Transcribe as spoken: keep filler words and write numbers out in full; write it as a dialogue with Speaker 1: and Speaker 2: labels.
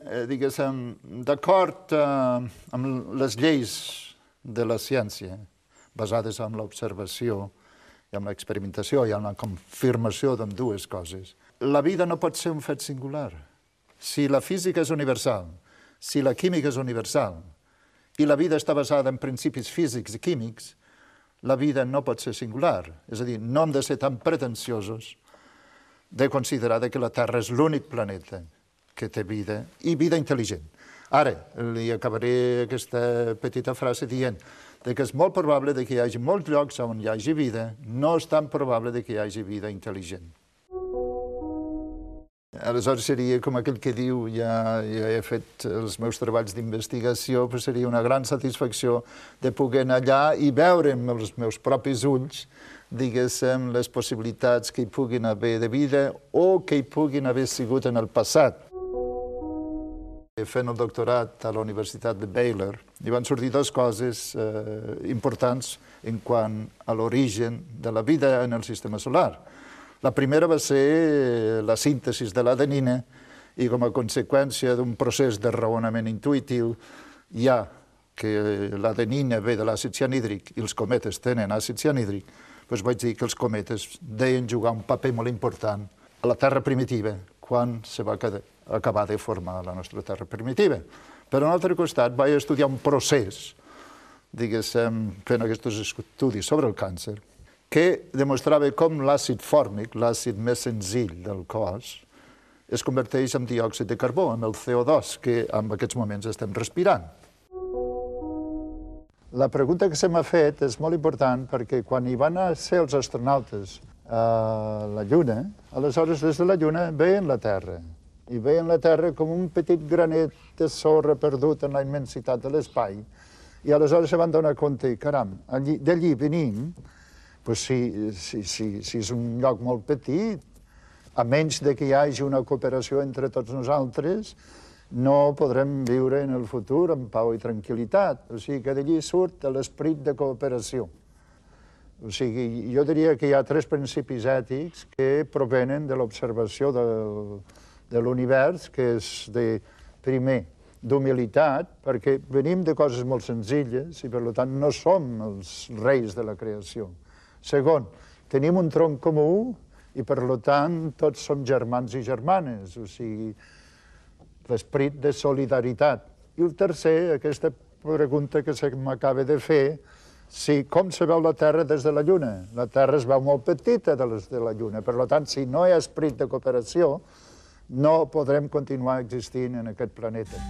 Speaker 1: Eh, diguéssim, d'acord eh, amb les lleis de la ciència, basades en l'observació i en l'experimentació i en la confirmació d'ambdues coses, la vida no pot ser un fet singular. Si la física és universal, si la química és universal, i la vida està basada en principis físics i químics, la vida no pot ser singular. És a dir, no hem de ser tan pretensiosos de considerar que la Terra és l'únic planeta que té vida, i vida intel·ligent. Ara, li acabaré aquesta petita frase dient que és molt probable que hi hagi molts llocs on hi hagi vida, no és tan probable que hi hagi vida intel·ligent. Aleshores seria com aquell que diu, ja, ja he fet els meus treballs d'investigació, però seria una gran satisfacció de poder anar allà i veure amb els meus propis ulls, diguéssim, les possibilitats que hi puguin haver de vida o que hi puguin haver sigut en el passat. Fent el doctorat a la Universitat de Baylor, hi van sortir dues coses eh, importants en quant a l'origen de la vida en el sistema solar. La primera va ser la síntesi de l'adenina i com a conseqüència d'un procés de raonament intuïtiu, ja que l'adenina ve de l'àcid cianhídric i els cometes tenen àcid cianhídric, doncs vaig dir que els cometes deien jugar un paper molt important a la Terra primitiva quan se va acabar de formar la nostra Terra primitiva. Per un altre costat, vaig estudiar un procés, diguéssim, fent aquests estudis sobre el càncer, que demostrava com l'àcid fòrmic, l'àcid més senzill del cos, es converteix en diòxid de carbó, en el C O dos, que en aquests moments estem respirant. La pregunta que se m'ha fet és molt important perquè quan hi van ser els astronautes a la Lluna, aleshores des de la Lluna veien la Terra, i veien la Terra com un petit granet de sorra perdut en la immensitat de l'espai, i aleshores se van donar compte, caram, d'allí venim, Pues si, si, si, si és un lloc molt petit, a menys de que hi hagi una cooperació entre tots nosaltres, no podrem viure en el futur amb pau i tranquil·litat. O sigui que d'allí surt l'esperit de cooperació. O sigui, jo diria que hi ha tres principis ètics que provenen de l'observació de l'univers, que és, de, primer, d'humilitat, perquè venim de coses molt senzilles i, per tant, no som els reis de la creació. Segon, tenim un tronc comú i, per tant, tots som germans i germanes, o sigui, l'esperit de solidaritat. I el tercer, aquesta pregunta que se m'acaba de fer, si com se veu la Terra des de la Lluna? La Terra es veu molt petita des de la Lluna, per tant, si no hi ha esperit de cooperació, no podrem continuar existint en aquest planeta.